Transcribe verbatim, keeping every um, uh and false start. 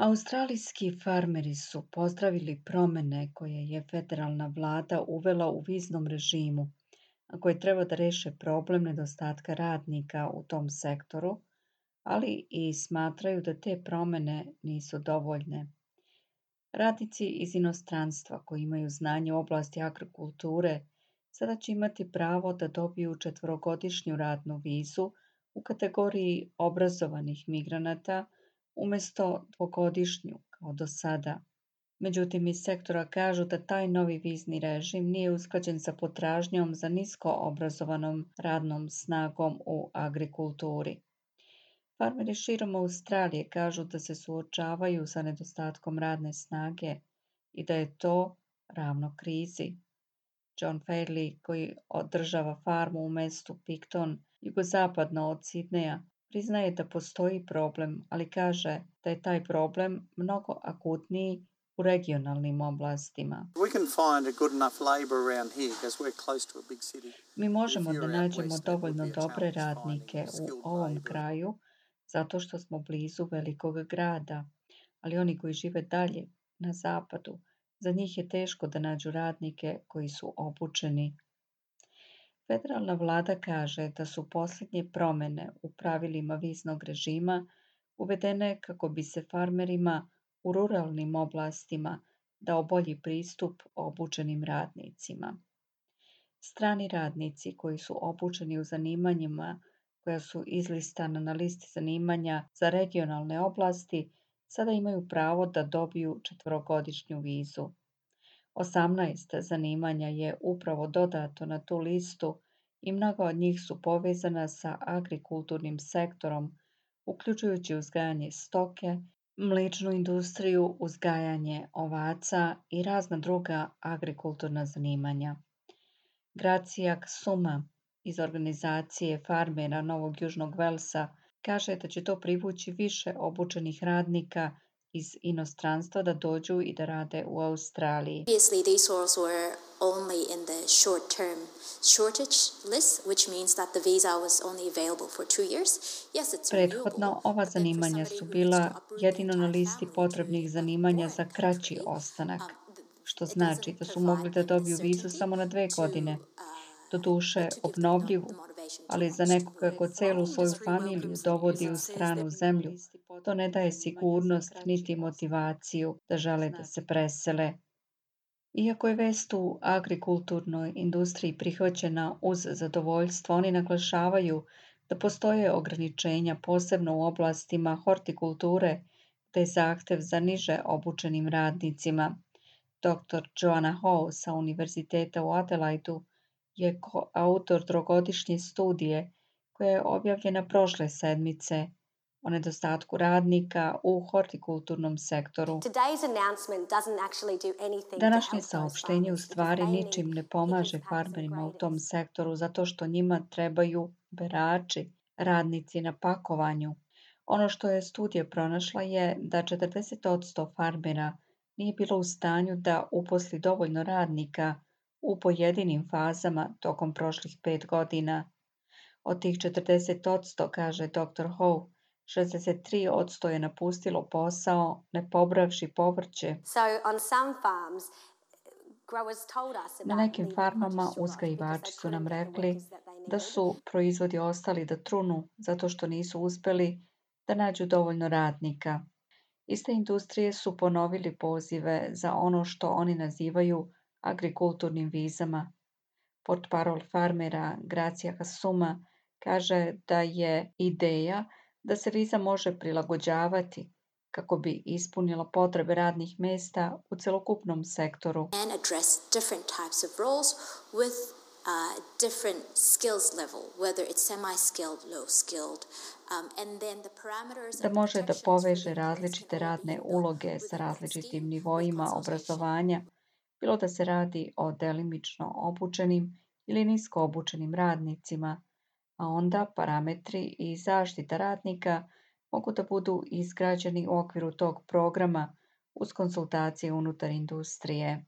Australijski farmeri su pozdravili promjene koje je federalna vlada uvela u viznom režimu, a koje treba da reše problem nedostatka radnika u tom sektoru, ali i smatraju da te promjene nisu dovoljne. Radnici iz inostranstva koji imaju znanje u oblasti agrikulture sada će imati pravo da dobiju četvorogodišnju radnu vizu u kategoriji obrazovanih migranata umjesto dvogodišnju kao do sada. Međutim, iz sektora kažu da taj novi vizni režim nije usklađen sa potražnjom za nisko obrazovanom radnom snagom u agrikulturi. Farmeri širom Australije kažu da se suočavaju sa nedostatkom radne snage i da je to ravno krizi. John Fairley, koji održava farmu u mestu Picton, jugozapadno od Sidneja, priznaje da postoji problem, ali kaže da je taj problem mnogo akutniji u regionalnim oblastima. We can find a good enough labour around here because we're close to a big city. Mi If možemo da you're out nađemo west, that would dovoljno be a dobre challenge radnike finding u skilled ovom labour. kraju, zato što smo blizu velikog grada, ali oni koji žive dalje, na zapadu, za njih je teško da nađu radnike koji su obučeni. Federalna vlada kaže da su posljednje promjene u pravilima viznog režima uvedene kako bi se farmerima u ruralnim oblastima dao bolji pristup obučenim radnicima. Strani radnici koji su obučeni u zanimanjima koja su izlistana na listi zanimanja za regionalne oblasti sada imaju pravo da dobiju četvorogodišnju vizu. Osamnaest zanimanja je upravo dodato na tu listu i mnoga od njih su povezana sa agrikulturnim sektorom, uključujući uzgajanje stoke, mličnu industriju, uzgajanje ovaca i razna druga agrikulturna zanimanja. Gracija Suma iz organizacije farmera Novog Južnog Velsa kaže da će to privući više obučenih radnika iz inostranstva da dođu i da rade u Australiji. Previously, these roles were only in the short-term shortage list, which means that the visa was only available for two years. Yes, it's Prethodno renewable, ova but then for zanimanja somebody su who needs to bila uproot their jedino na entire listi family potrebnih to a zanimanja za foreign kraći country, ostanak, um, th- što it znači doesn't da su provide mogli da them the dobiju vizu certainty samo na dve to godine, uh, doduše to give them the, obnovljivu, the motivation to ali za want to nekoga move. ko celu The svoju industry familiju welcomes the dovodi news u and says stranu that zemlju, to ne daje sigurnost niti motivaciju da žele da se presele. Iako je vest u agrikulturnoj industriji prihvaćena uz zadovoljstvo, oni naglašavaju da postoje ograničenja posebno u oblastima hortikulture, te je zahtev za niže obučenim radnicima. doktor Joanna Howe sa Univerziteta u Adelaidu je autor trogodišnje studije koja je objavljena prošle sedmice o nedostatku radnika u hortikulturnom sektoru. Today's announcement doesn't actually do anything to Današnje help those saopštenje u farmers because stvari they need ničim ne pickers, pomaže packers and farmerima u tom graders. sektoru zato što njima trebaju berači, radnici na pakovanju. Ono što je studija pronašla je da četrdeset posto farmera nije bilo u stanju da uposli dovoljno radnika u pojedinim fazama tokom prošlih pet godina. Od tih četrdeset posto, kaže doktor Howe, šezdeset tri posto je napustilo posao ne pobravši povrće. So on some farms, growers told us Na about nekim leaving farmama produce to rot because uzgajivači they su nam couldn't get the rekli workers that they da needed. su proizvodi ostali da trunu zato što nisu uspeli da nađu dovoljno radnika. Iste industrije su ponovili pozive za ono što oni nazivaju agrikulturnim vizama. Portparol farmera Gracija Hasuma kaže da je ideja da se viza može prilagođavati kako bi ispunila potrebe radnih mesta u celokupnom sektoru. And address different types of roles with uh, different skills level, whether it's semi-skilled, low-skilled, um, and then the parameters Da and the može da protections for poveže the employees različite can all be radne built uloge sa within that različitim scheme with nivoima consultation. obrazovanja, bilo da se radi o delimično obučenim ili nisko obučenim radnicima, a onda parametri i zaštita radnika mogu da budu izgrađeni u okviru tog programa uz konsultacije unutar industrije.